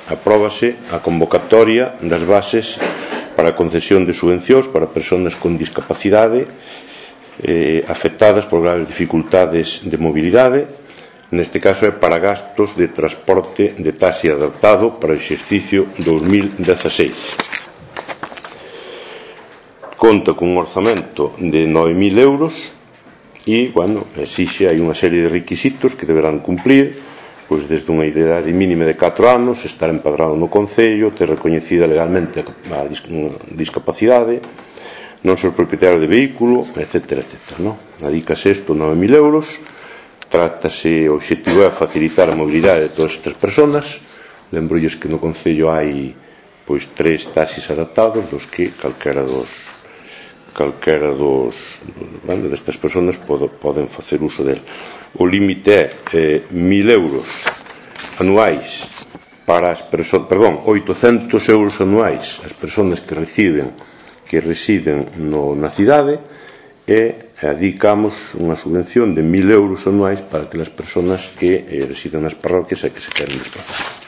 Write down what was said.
apróbase a convocatoria das bases para a concesión de subvencións para persoas con discapacidade afectadas por graves dificultades de mobilidade. Neste caso é para gastos de transporte de taxi adaptado para o exercicio 2016. Conta cun orzamento de 9.000 euros e, exixe hai unha serie de requisitos que deberán cumplir, pois desde unha idade mínima de 4 anos, estar empadrado no concello, ter recoñecida legalmente a discapacidade, non ser propietario de vehículo, etc. Adícase isto 9.000 euros. Trátase, o obxectivo é facilitar a mobilidade de todas estas persoas. Lembrolles que no concello hai 3 taxis adaptados, dos que calquera destas persoas poden facer uso del. O límite é 1.000 euros anuais para as persoas, 800 euros anuais as persoas que residen na cidade, e adicamos unha subvención de 1.000 euros anuais para aquelas persoas que residen nas parroquias e que se queren desplazar.